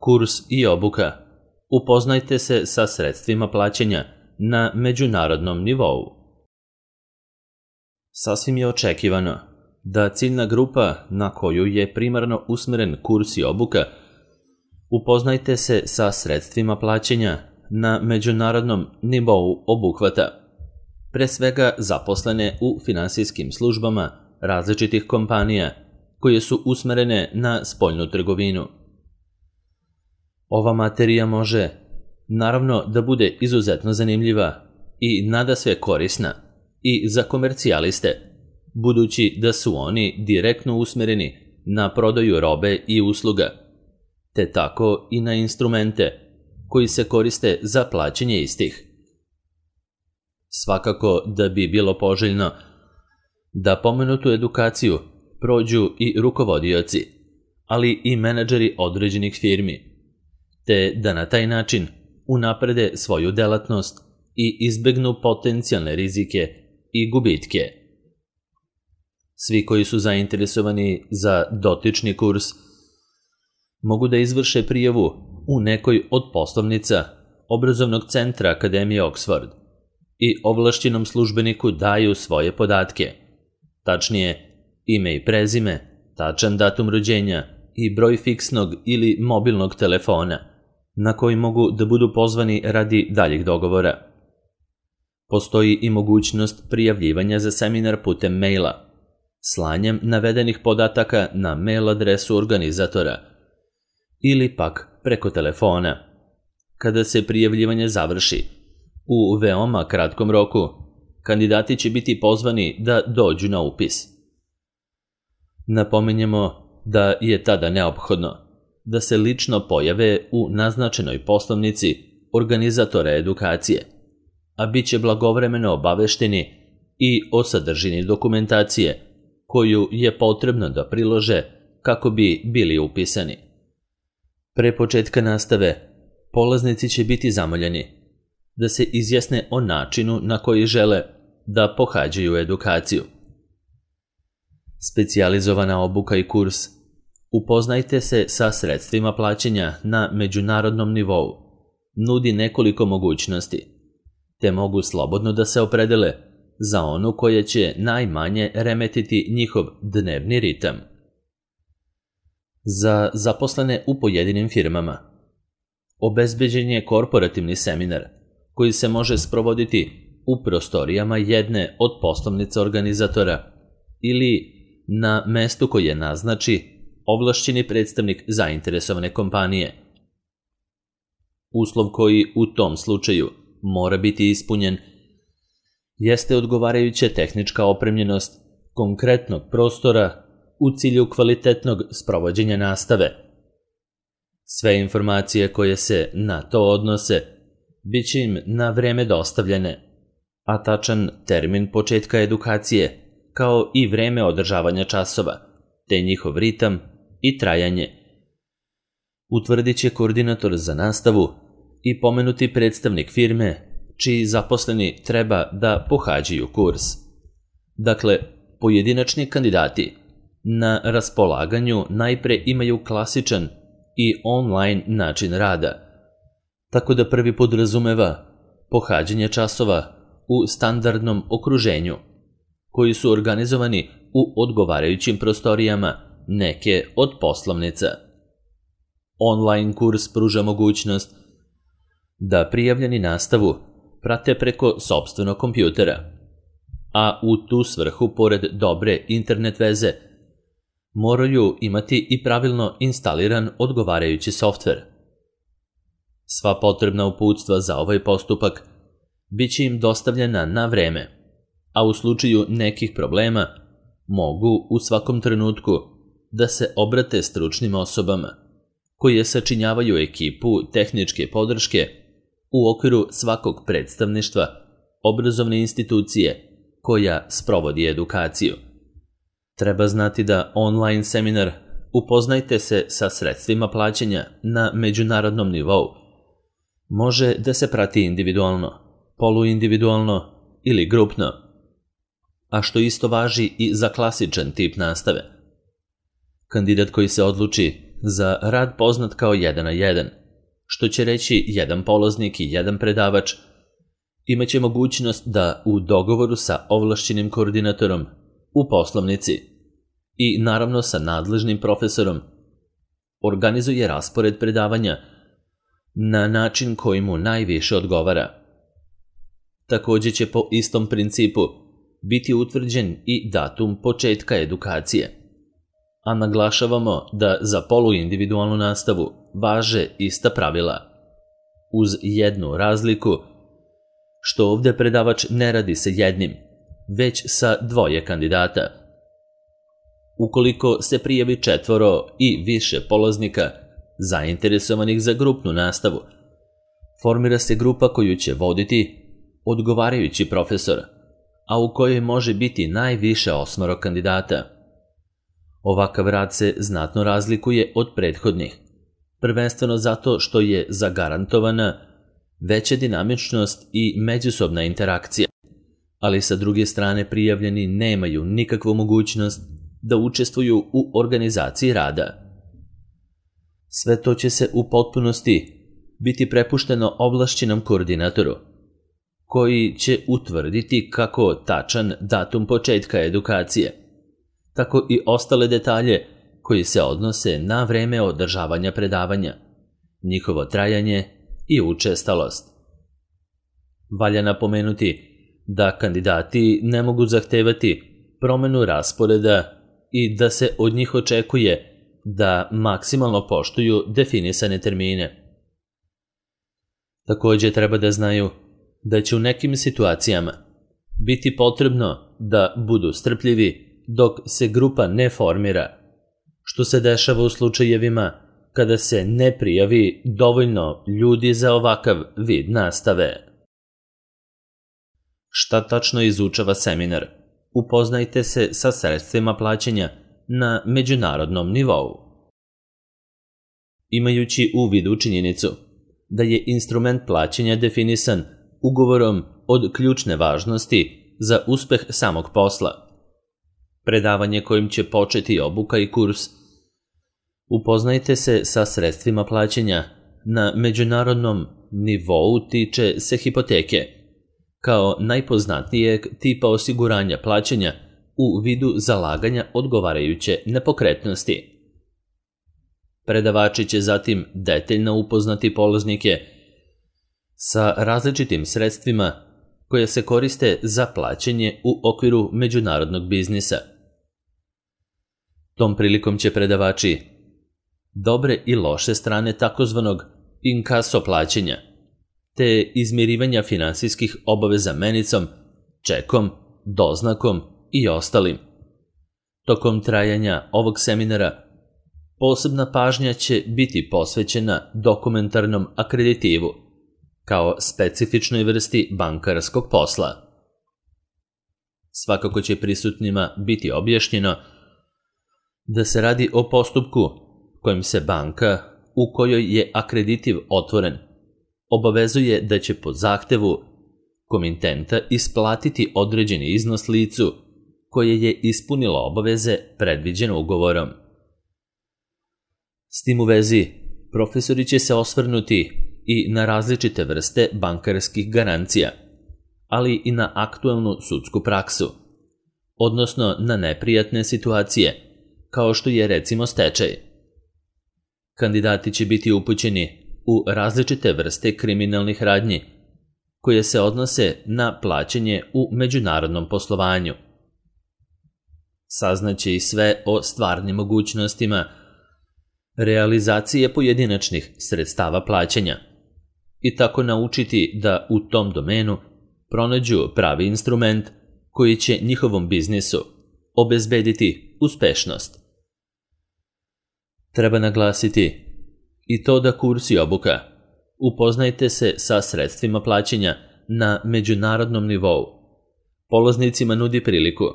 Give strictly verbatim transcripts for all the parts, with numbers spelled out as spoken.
Kurs i obuka. Upoznajte se sa sredstvima plaćanja na međunarodnom nivou. Sasvim je očekivano da ciljna grupa na koju je primarno usmeren kurs i obuka upoznajte se sa sredstvima plaćanja na međunarodnom nivou obuhvata, pre svega zaposlene u finansijskim službama različitih kompanija koje su usmerene na spoljnu trgovinu. Ova materija može, naravno, da bude izuzetno zanimljiva i nadasve korisna i za komercijaliste, budući da su oni direktno usmereni na prodaju robe i usluga, te tako i na instrumente koji se koriste za plaćanje istih. Svakako da bi bilo poželjno da pomenutu edukaciju prođu i rukovodioci, ali i menadžeri određenih firmi, te da na taj način unaprede svoju delatnost i izbegnu potencijalne rizike i gubitke. Svi koji su zainteresovani za dotični kurs mogu da izvrše prijavu u nekoj od poslovnica obrazovnog centra Akademije Oxford i ovlašćenom službeniku daju svoje podatke, tačnije ime i prezime, tačan datum rođenja i broj fiksnog ili mobilnog telefona na koji mogu da budu pozvani radi daljih dogovora. Postoji i mogućnost prijavljivanja za seminar putem maila, slanjem navedenih podataka na mail adresu organizatora ili pak preko telefona. Kada se prijavljivanje završi, u veoma kratkom roku, kandidati će biti pozvani da dođu na upis. Napominjemo da je tada neophodno da se lično pojave u naznačenoj poslovnici organizatora edukacije, a bit će blagovremeno obavešteni i o sadržini dokumentacije koju je potrebno da prilože kako bi bili upisani. Pre početka nastave, polaznici će biti zamoljeni da se izjasne o načinu na koji žele da pohađaju edukaciju. Specijalizovana obuka i kurs Upoznajte se sa sredstvima plaćanja na međunarodnom nivou nudi nekoliko mogućnosti, te mogu slobodno da se opredele za onu koja će najmanje remetiti njihov dnevni ritam. Za zaposlene u pojedinim firmama obezbeđen je korporativni seminar koji se može sprovoditi u prostorijama jedne od poslovnica organizatora ili na mestu koje naznači ovlašćeni predstavnik zainteresovane kompanije. Uslov koji u tom slučaju mora biti ispunjen jeste odgovarajuća tehnička opremljenost konkretnog prostora u cilju kvalitetnog sprovođenja nastave. Sve informacije koje se na to odnose bit će im na vreme dostavljene, a tačan termin početka edukacije kao i vreme održavanja časova, te njihov ritam i trajanje utvrdit će koordinator za nastavu i pomenuti predstavnik firme čiji zaposleni treba da pohađaju kurs. Dakle, pojedinačni kandidati na raspolaganju najpre imaju klasičan i online način rada, tako da prvi podrazumeva pohađanje časova u standardnom okruženju, koji su organizovani u odgovarajućim prostorijama neke od poslovnica. Online kurs pruža mogućnost da prijavljeni nastavu prate preko sopstvenog kompjutera, a u tu svrhu, pored dobre internet veze, moraju imati i pravilno instaliran odgovarajući softver. Sva potrebna uputstva za ovaj postupak bit će im dostavljena na vreme, a u slučaju nekih problema mogu u svakom trenutku da se obrate stručnim osobama koje sačinjavaju ekipu tehničke podrške u okviru svakog predstavništva obrazovne institucije koja sprovodi edukaciju. Treba znati da online seminar Upoznajte se sa sredstvima plaćanja na međunarodnom nivou može da se prati individualno, poluindividualno ili grupno, a što isto važi i za klasičan tip nastave. Kandidat koji se odluči za rad poznat kao jedan na jedan, što će reći jedan polaznik i jedan predavač, imaće mogućnost da u dogovoru sa ovlašćenim koordinatorom u poslovnici i naravno sa nadležnim profesorom organizuje raspored predavanja na način koji mu najviše odgovara. Takođe će po istom principu biti utvrđen i datum početka edukacije, a naglašavamo da za poluindividualnu nastavu važe ista pravila, uz jednu razliku što ovde predavač ne radi sa jednim, već sa dvoje kandidata. Ukoliko se prijavi četvoro i više polaznika zainteresovanih za grupnu nastavu, formira se grupa koju će voditi odgovarajući profesor, a u kojoj može biti najviše osmoro kandidata. Ovakav rad se znatno razlikuje od prethodnih, prvenstveno zato što je zagarantovana veća dinamičnost i međusobna interakcija, ali sa druge strane prijavljeni nemaju nikakvu mogućnost da učestvuju u organizaciji rada. Sve to će se u potpunosti biti prepušteno ovlašćenom koordinatoru, koji će utvrditi kako tačan datum početka edukacije, tako i ostale detalje koji se odnose na vreme održavanja predavanja, njihovo trajanje i učestalost. Valja napomenuti da kandidati ne mogu zahtevati promenu rasporeda i da se od njih očekuje da maksimalno poštuju definisane termine. Takođe treba da znaju da će u nekim situacijama biti potrebno da budu strpljivi dok se grupa ne formira, što se dešava u slučajevima kada se ne prijavi dovoljno ljudi za ovakav vid nastave. Šta tačno izučava seminar? Upoznajte se sa sredstvima plaćanja na međunarodnom nivou. Imajući u vidu činjenicu da je instrument plaćanja definisan ugovorom od ključne važnosti za uspeh samog posla, predavanje kojim će početi obuka i kurs, upoznajte se sa sredstvima plaćanja na međunarodnom nivou tiče se hipoteke, kao najpoznatijeg tipa osiguranja plaćanja u vidu zalaganja odgovarajuće nepokretnosti. Predavači će zatim detaljno upoznati polaznike sa različitim sredstvima koje se koriste za plaćanje u okviru međunarodnog biznisa. Tom prilikom će predavači dobre i loše strane takozvanog inkaso plaćanja, te izmirivanja finansijskih obaveza menicom, čekom, doznakom i ostalim. Tokom trajanja ovog seminara posebna pažnja će biti posvećena dokumentarnom akreditivu, kao specifičnoj vrsti bankarskog posla. Svakako će prisutnima biti objašnjeno da se radi o postupku kojim se banka, u kojoj je akreditiv otvoren, obavezuje da će po zahtevu komitenta isplatiti određeni iznos licu koje je ispunilo obaveze predviđene ugovorom. S tim u vezi, profesori će se osvrnuti i na različite vrste bankarskih garancija, ali i na aktuelnu sudsku praksu, odnosno na neprijatne situacije, kao što je recimo stečaj. Kandidati će biti upućeni u različite vrste kriminalnih radnji, koje se odnose na plaćanje u međunarodnom poslovanju. Saznaće i sve o stvarnim mogućnostima realizacije pojedinačnih sredstava plaćanja i tako naučiti da u tom domenu pronađu pravi instrument koji će njihovom biznisu obezbediti uspešnost. Treba naglasiti i to da kurs i obuka upoznajte se sa sredstvima plaćanja na međunarodnom nivou. Polaznicima nudi priliku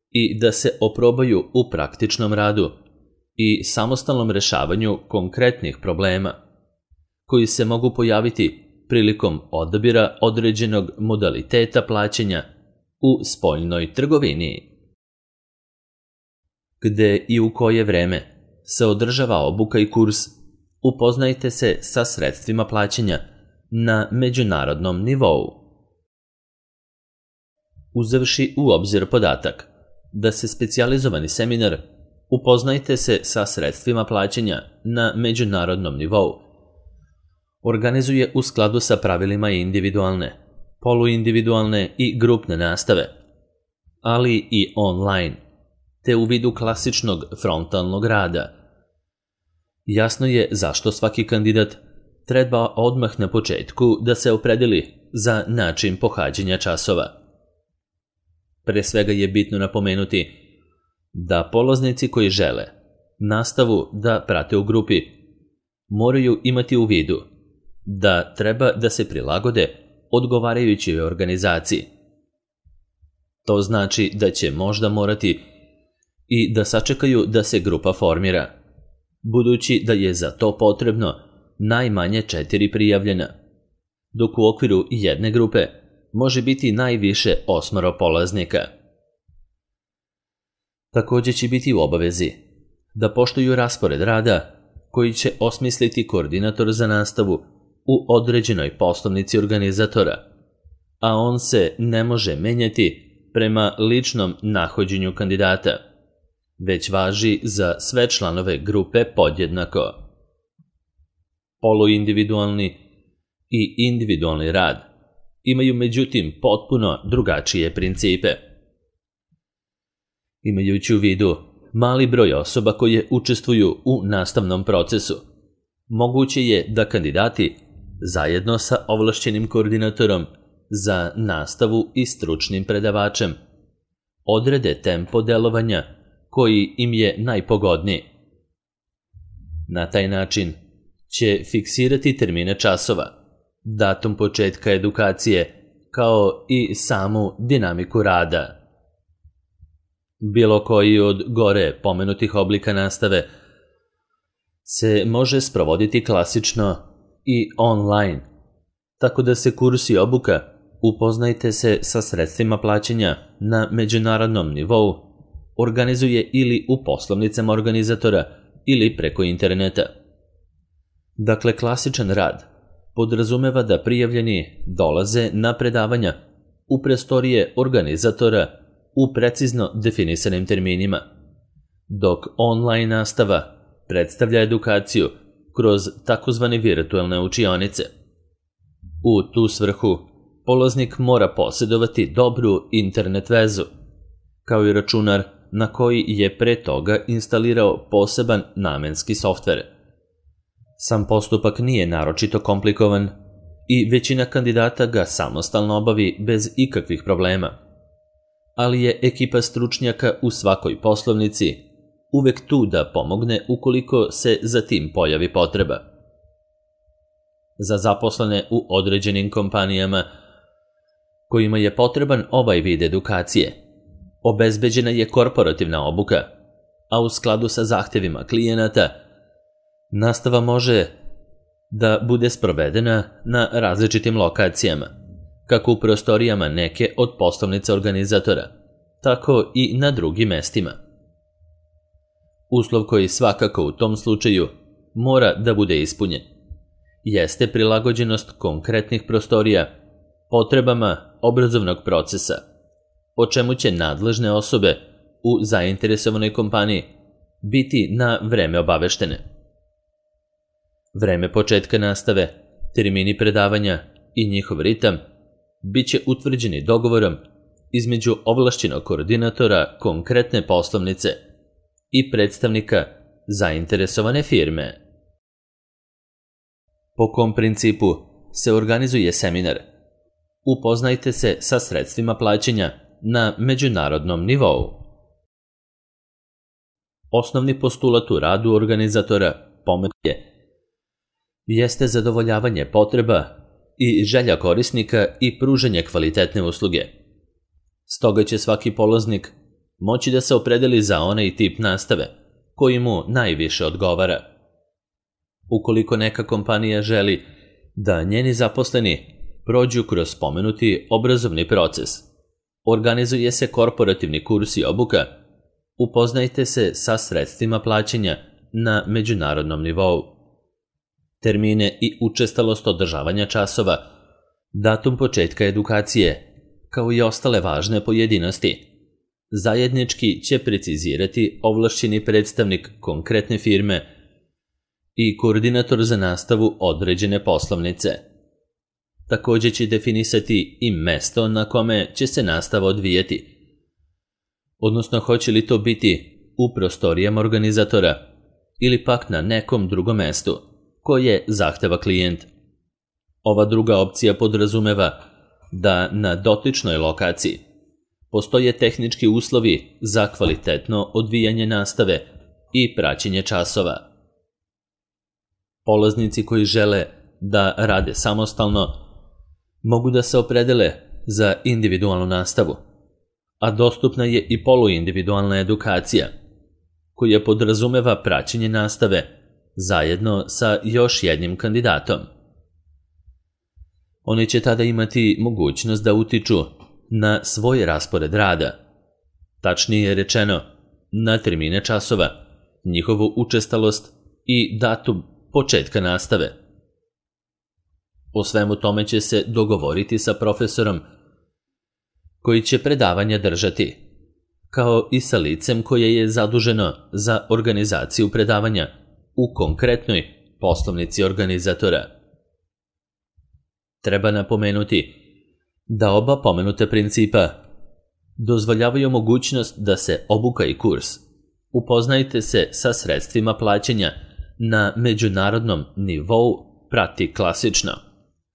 i da se oprobaju u praktičnom radu i samostalnom rešavanju konkretnih problema, koji se mogu pojaviti prilikom odabira određenog modaliteta plaćanja u spoljnoj trgovini. Gde i u koje vreme se održava obuka i kurs Upoznajte se sa sredstvima plaćanja na međunarodnom nivou. Uzevši u obzir podatak da se specijalizovani seminar Upoznajte se sa sredstvima plaćanja na međunarodnom nivou organizuje u skladu sa pravilima individualne, poluindividualne i grupne nastave, ali i online, te u vidu klasičnog frontalnog rada. Jasno je zašto svaki kandidat treba odmah na početku da se opredeli za način pohađanja časova. Pre svega je bitno napomenuti da polaznici koji žele nastavu da prate u grupi moraju imati u vidu da treba da se prilagode odgovarajućoj organizaciji. To znači da će možda morati i da sačekaju da se grupa formira, budući da je za to potrebno najmanje četiri prijavljena, dok u okviru jedne grupe može biti najviše osmoro polaznika. Također će biti u obavezi da poštuju raspored rada koji će osmisliti koordinator za nastavu u određenoj poslovnici organizatora, a on se ne može menjati prema ličnom nahođenju kandidata, već važi za sve članove grupe podjednako. Poluindividualni i individualni rad imaju međutim potpuno drugačije principe. Imajući u vidu mali broj osoba koje učestvuju u nastavnom procesu, moguće je da kandidati zajedno sa ovlašćenim koordinatorom za nastavu i stručnim predavačem odrede tempo delovanja koji im je najpogodniji. Na taj način će fiksirati termine časova, datum početka edukacije, kao i samu dinamiku rada. Bilo koji od gore pomenutih oblika nastave se može sprovoditi klasično i online, tako da se kurs i obuka Upoznajte se sa sredstvima plaćanja na međunarodnom nivou organizuje ili u poslovnicama organizatora ili preko interneta. Dakle, klasičan rad podrazumeva da prijavljeni dolaze na predavanja u prostorije organizatora u precizno definisanim terminima, dok online nastava predstavlja edukaciju kroz takozvane virtualne učionice. U tu svrhu polaznik mora posjedovati dobru internet vezu, kao i računar na koji je pre toga instalirao poseban namenski softver. Sam postupak nije naročito komplikovan i većina kandidata ga samostalno obavi bez ikakvih problema, ali je ekipa stručnjaka u svakoj poslovnici uvek tu da pomogne ukoliko se za tim pojavi potreba. Za zaposlene u određenim kompanijama kojima je potreban ovaj vid edukacije, obezbeđena je korporativna obuka, a u skladu sa zahtevima klijenata, nastava može da bude sprovedena na različitim lokacijama, kako u prostorijama neke od poslovnica organizatora, tako i na drugim mestima. Uslov koji svakako u tom slučaju mora da bude ispunjen jeste prilagođenost konkretnih prostorija potrebama obrazovnog procesa, o čemu će nadležne osobe u zainteresovanoj kompaniji biti na vreme obaveštene. Vreme početka nastave, termini predavanja i njihov ritam bit će utvrđeni dogovorom između ovlašćenog koordinatora konkretne poslovnice i predstavnika zainteresovane firme. Po kom principu se organizuje seminar Upoznajte se sa sredstvima plaćanja na međunarodnom nivou. Osnovni postulat u radu organizatora pomenuje jeste zadovoljavanje potreba i želja korisnika i pružanje kvalitetne usluge. Stoga će svaki polaznik moći da se opredeli za onaj tip nastave koji mu najviše odgovara. Ukoliko neka kompanija želi da njeni zaposleni prođu kroz spomenuti obrazovni proces, organizuje se korporativni kurs i obuka Upoznajte se sa sredstvima plaćanja na međunarodnom nivou. Termine i učestalost održavanja časova, datum početka edukacije, kao i ostale važne pojedinosti, zajednički će precizirati ovlašćeni predstavnik konkretne firme i koordinator za nastavu određene poslovnice. Također će definisati i mesto na kome će se nastava odvijati, odnosno hoće li to biti u prostorijama organizatora ili pak na nekom drugom mestu koje zahteva klijent. Ova druga opcija podrazumeva da na dotičnoj lokaciji postoje tehnički uslovi za kvalitetno odvijanje nastave i praćenje časova. Polaznici koji žele da rade samostalno mogu da se opredele za individualnu nastavu, a dostupna je i poluindividualna edukacija, koja podrazumeva praćenje nastave zajedno sa još jednim kandidatom. Oni će tada imati mogućnost da utiču na svoj raspored rada, tačnije rečeno na termine časova, njihovu učestalost i datum početka nastave. O svemu tome će se dogovoriti sa profesorom koji će predavanja držati, kao i sa licem koje je zaduženo za organizaciju predavanja u konkretnoj poslovnici organizatora. Treba napomenuti da oba pomenute principa dozvoljavaju mogućnost da se obuka i kurs. Upoznajte se sa sredstvima plaćanja na međunarodnom nivou prati klasično,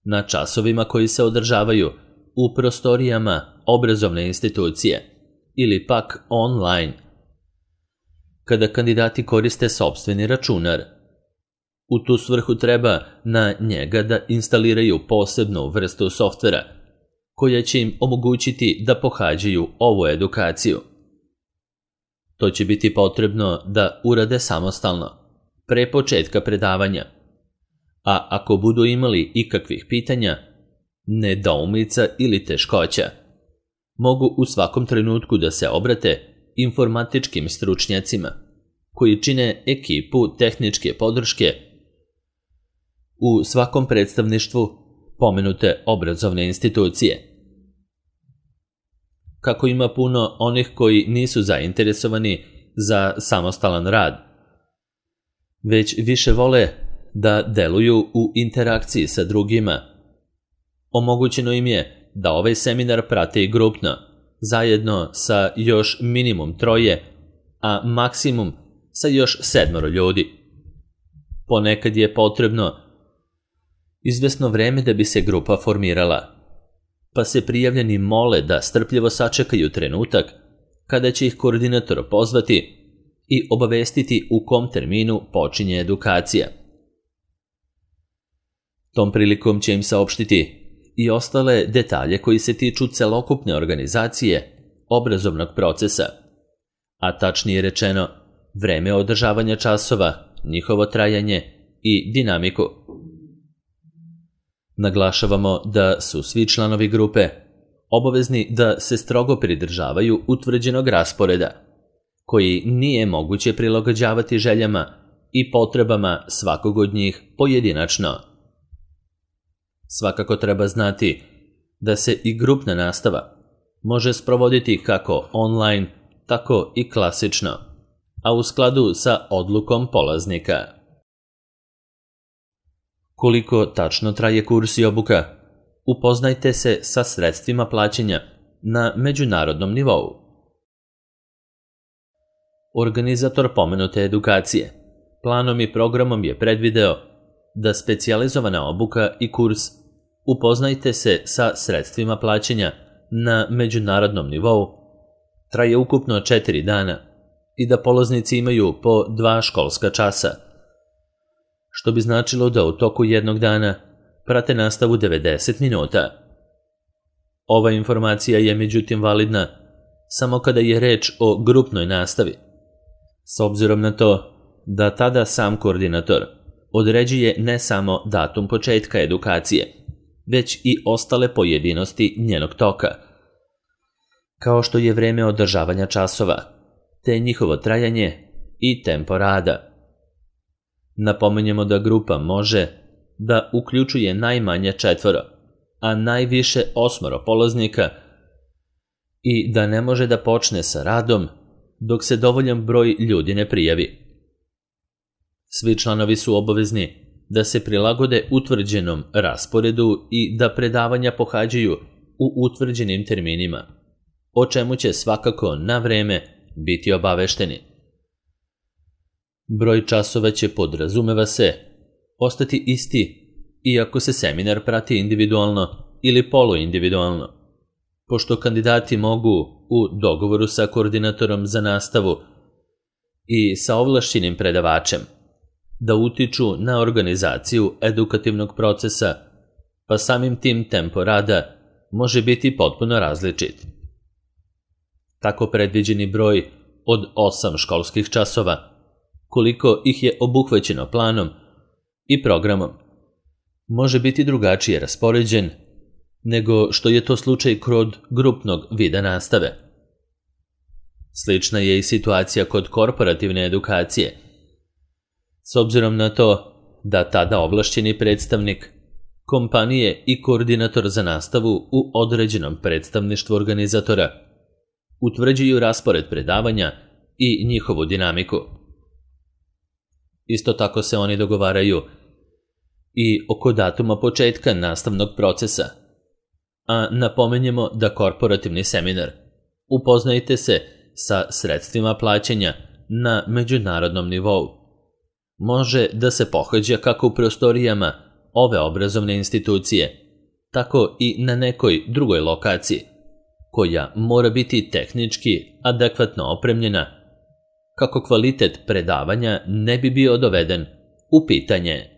na časovima koji se održavaju u prostorijama obrazovne institucije ili pak online, kada kandidati koriste sopstveni računar. U tu svrhu treba na njega da instaliraju posebnu vrstu softvera koja će im omogućiti da pohađaju ovu edukaciju. To će biti potrebno da urade samostalno, pre početka predavanja, a ako budu imali ikakvih pitanja, nedoumica ili teškoća, mogu u svakom trenutku da se obrate informatičkim stručnjacima koji čine ekipu tehničke podrške u svakom predstavništvu pomenute obrazovne institucije. Kako ima puno onih koji nisu zainteresovani za samostalan rad, već više vole da deluju u interakciji sa drugima, omogućeno im je da ovaj seminar prate i grupno, zajedno sa još minimum troje, a maksimum sa još sedmoro ljudi. Ponekad je potrebno izvesno vreme da bi se grupa formirala, pa se prijavljeni mole da strpljivo sačekaju trenutak kada će ih koordinator pozvati i obavestiti u kom terminu počinje edukacija. Tom prilikom će im saopštiti i ostale detalje koji se tiču celokupne organizacije obrazovnog procesa, a tačnije rečeno vreme održavanja časova, njihovo trajanje i dinamiku. Naglašavamo da su svi članovi grupe obavezni da se strogo pridržavaju utvrđenog rasporeda, koji nije moguće prilagođavati željama i potrebama svakog od njih pojedinačno. Svakako treba znati da se i grupna nastava može sprovoditi kako online, tako i klasično, a u skladu sa odlukom polaznika. Koliko tačno traje kurs i obuka? Upoznajte se sa sredstvima plaćanja na međunarodnom nivou. Organizator pomenute edukacije planom i programom je predvideo da specijalizovana obuka i kurs upoznajte se sa sredstvima plaćanja na međunarodnom nivou traje ukupno četiri dana i da polaznici imaju po dva školska časa, što bi značilo da u toku jednog dana prate nastavu devedeset minuta. Ova informacija je međutim validna samo kada je reč o grupnoj nastavi, s obzirom na to da tada sam koordinator određuje ne samo datum početka edukacije, već i ostale pojedinosti njenog toka, kao što je vreme održavanja časova, te njihovo trajanje i tempo rada. Napominjemo da grupa može da uključuje najmanje četvoro, a najviše osmoro polaznika i da ne može da počne sa radom dok se dovoljan broj ljudi ne prijavi. Svi članovi su obavezni da se prilagode utvrđenom rasporedu i da predavanja pohađaju u utvrđenim terminima, o čemu će svakako na vreme biti obavešteni. Broj časova će, podrazumeva se, ostati isti iako se seminar prati individualno ili poluindividualno, pošto kandidati mogu u dogovoru sa koordinatorom za nastavu i sa ovlašćenim predavačem da utiču na organizaciju edukativnog procesa, pa samim tim tempo rada može biti potpuno različit. Tako predviđeni broj od osam školskih časova, koliko ih je obuhvaćeno planom i programom, može biti drugačije raspoređen nego što je to slučaj kod grupnog vida nastave. Slična je i situacija kod korporativne edukacije, s obzirom na to da tada ovlašćeni predstavnik kompanije i koordinator za nastavu u određenom predstavništvu organizatora utvrđuju raspored predavanja i njihovu dinamiku. Isto tako se oni dogovaraju i oko datuma početka nastavnog procesa, a napomenjemo da korporativni seminar Upoznajte se sa sredstvima plaćanja na međunarodnom nivou može da se pohađa kako u prostorijama ove obrazovne institucije, tako i na nekoj drugoj lokaciji, koja mora biti tehnički adekvatno opremljena, kako kvalitet predavanja ne bi bio doveden u pitanje.